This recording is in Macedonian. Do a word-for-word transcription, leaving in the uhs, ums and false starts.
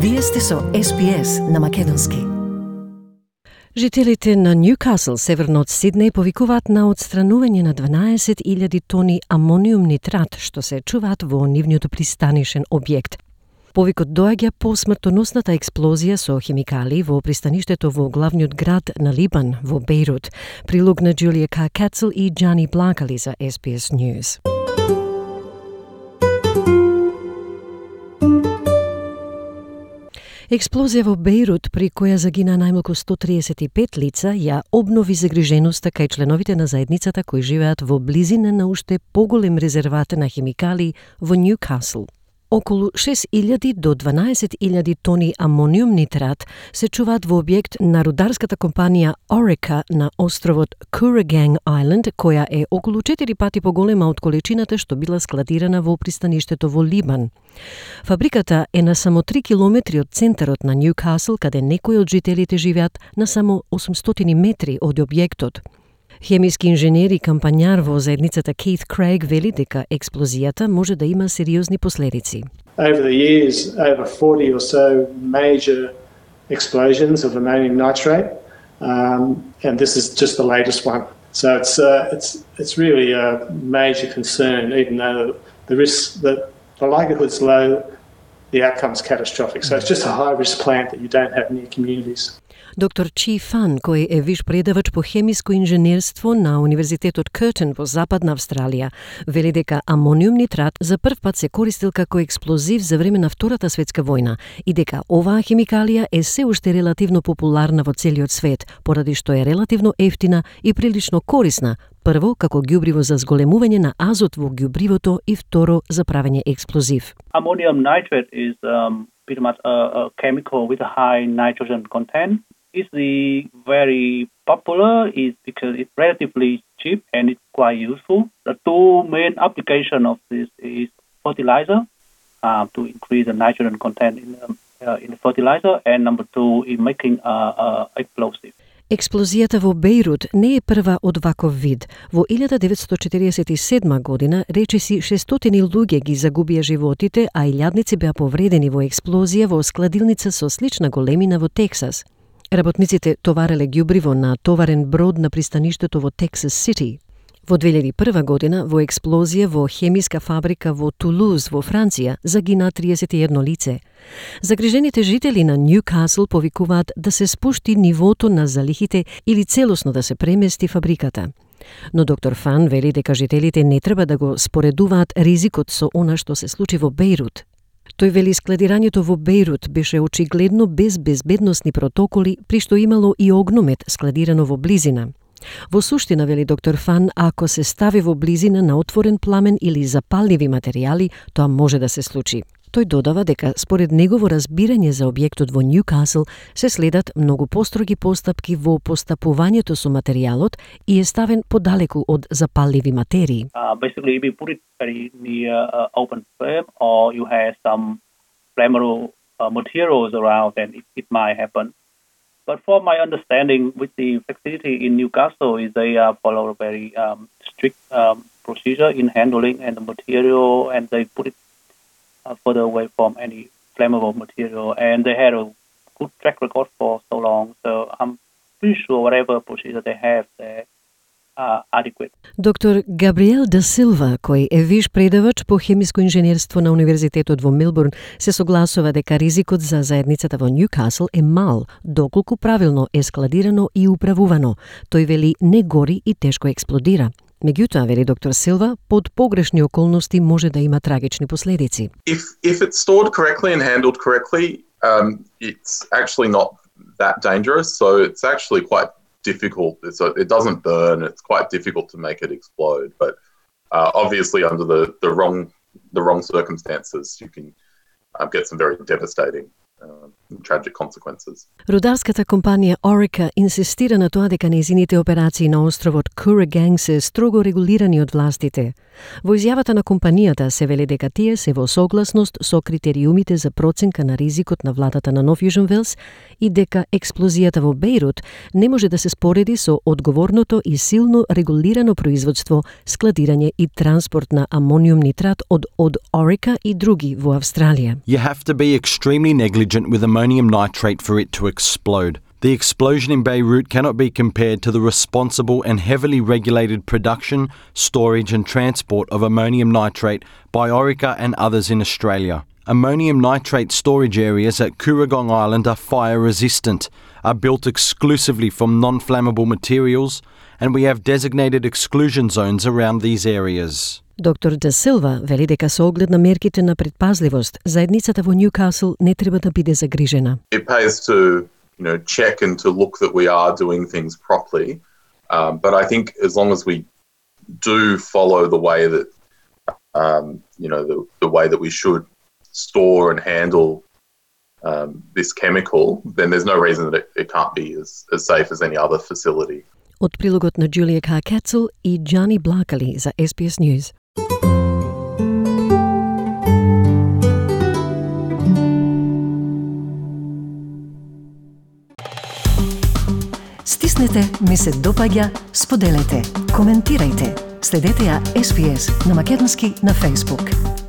Вие сте со Ес Би Ес на македонски. Жителите на Ньюкасл, северно од Сиднеј, повикуваат на отстранување на дванаесет илјади тони амониум нитрат, што се чуваат во нивниот пристанишен објект. Повикот доаѓа по смртоносната експлозија со хемикали во пристаништето во главниот град на Либан, во Бејрут. Прилог на Джулија Ка Кацел и Джани Блакали за Ес Би Ес News. Експлозија во Бејрут, при која загина најмалку сто триесет и пет лица, ја обнови загриженоста кај членовите на заедницата кои живеат во близина на уште поголем резерват на хемикали во Ньюкасл. Околу шест илјади до дванаесет илјади тони амониум нитрат се чуваат во објект на рударската компанија Orica на островот Kooragang Island, која е околу четири пати поголема од количината што била складирана во пристаништето во Либан. Фабриката е на само три километри од центарот на Ньюкасл, каде некои од жителите живеат на само осумстотини метри од објектот. Хемиски инженер и кампањар во заедницата Keith Craig вели дека експлозијата може да има сериозни последици. Over the years, over forty or so major explosions of ammonium nitrate, um, and this is just the latest one. So it's uh, it's it's really a major concern, even though the risk, that the likelihood's low, the outcome's catastrophic. So it's just a high-risk plant that you don't have near communities. Доктор Чи Фан, кој е виш предавач по хемиско инженерство на Универзитетот Къртен во Западна Австралија, вели дека амониум нитрат за прв пат се користил како експлозив за време на Втората светска војна и дека оваа хемикалија е се уште релативно популарна во целиот свет, поради што е релативно ефтина и прилично корисна, прво како ѓубриво за зголемување на азот во ѓубривото и второ за правење експлозив. Ammonium nitrate is um, pretty much a, a chemical with a high nitrogen content. It's the very popular is because it's relatively cheap and it's quite useful. The two main application of this is fertilizer uh, to increase the nitrogen content in the, uh, in the fertilizer, and number two in making uh, uh, explosive. Експлозијата во Бејрут не е прва од ваков вид. Во илјада деветстотини четириесет и седма година речиси шестстотини луѓе ги загубија животите, а илјадници беа повредени во експлозија во складилница со слична големина во Тексас. Работниците товареле ѓубриво на товарен брод на пристаништето во Тексас Сити. Во две илјади и прва година, во експлозија во хемиска фабрика во Тулуз во Франција, загина триесет и едно лице. Загрижените жители на Ньюкасл повикуваат да се спушти нивото на залихите или целосно да се премести фабриката. Но доктор Фан вели дека жителите не треба да го споредуваат ризикот со она што се случи во Бејрут. Тој вели складирањето во Бејрут беше очигледно без безбедносни протоколи, при што имало и огномет складирано во близина. Во суштина, вели доктор Фан, ако се стави во близина на отворен пламен или запалливи материјали, тоа може да се случи. Тој додава дека според негово разбирање за објектот во Ньюкасл се следат многу построги постапки во постапувањето со материјалот и е ставен подалеку од запалливи материи. Uh, basically, if you put it very near uh, open flame or you have some flammable uh, materials around, then it, it might happen. But from my understanding with the facility in Newcastle is they uh, follow a very um, strict um, procedure in handling and the material, and they put it uh, further away from any flammable material, and they had a good track record for so long. So I'm pretty sure whatever procedure they have there are adequate. Доктор Габриел да Силва, кој е виш предавач по хемиско инженерство на Универзитетот во Мелбурн, се согласува дека ризикот за заедницата во Ньюкасл е мал, доколку правилно е складирано и управувано. Тој вели не гори и тешко експлодира. Меѓутоа, вели доктор Силва, под погрешни околности може да има трагични последици. If if it's stored correctly and handled correctly, um, it's actually not that dangerous. So it's actually quite difficult. It's a, it doesn't burn. It's quite difficult to make it explode. But uh, obviously, under the, the wrong the wrong circumstances, you can uh, get some very devastating uh, tragic consequences. Рударската компанија Orica инсистира на тоа дека нејзините операции на островот Kooragang се строго регулирани од властите. Во изјавата на компанијата се вели дека тие се во согласност со критериумите за проценка на ризикот на владата на Нов Јужен Велс и дека експлозијата во Бејрут не може да се спореди со одговорното и силно регулирано производство, складирање и транспорт на амониум нитрат од од Orica и други во Австралија. You have to be extremely negligent with ammonium nitrate for it to explode. The explosion in Beirut cannot be compared to the responsible and heavily regulated production, storage and transport of ammonium nitrate by Orica and others in Australia. Ammonium nitrate storage areas at Kooragang Island are fire resistant, are built exclusively from non-flammable materials, and we have designated exclusion zones around these areas. Доктор Де Силва вели дека со оглед на мерките на предпазливост, заедницата во Ньюкасл не треба да биде загрижена. It pays to, you know, check and to look that we are doing things properly. Um, but I think as long as we do follow the way that, um, you know, the, the way that we should store and handle um, this chemical, then there's no reason that it, it can't be as, as safe as any other facility. Од прилогот на Джулија Кар Кецел и Джани Блакали за Ес Би Ес News. Стиснете, ми се допаѓа, споделете, коментирајте. Следете ја Ес Би Ес на македонски на Facebook.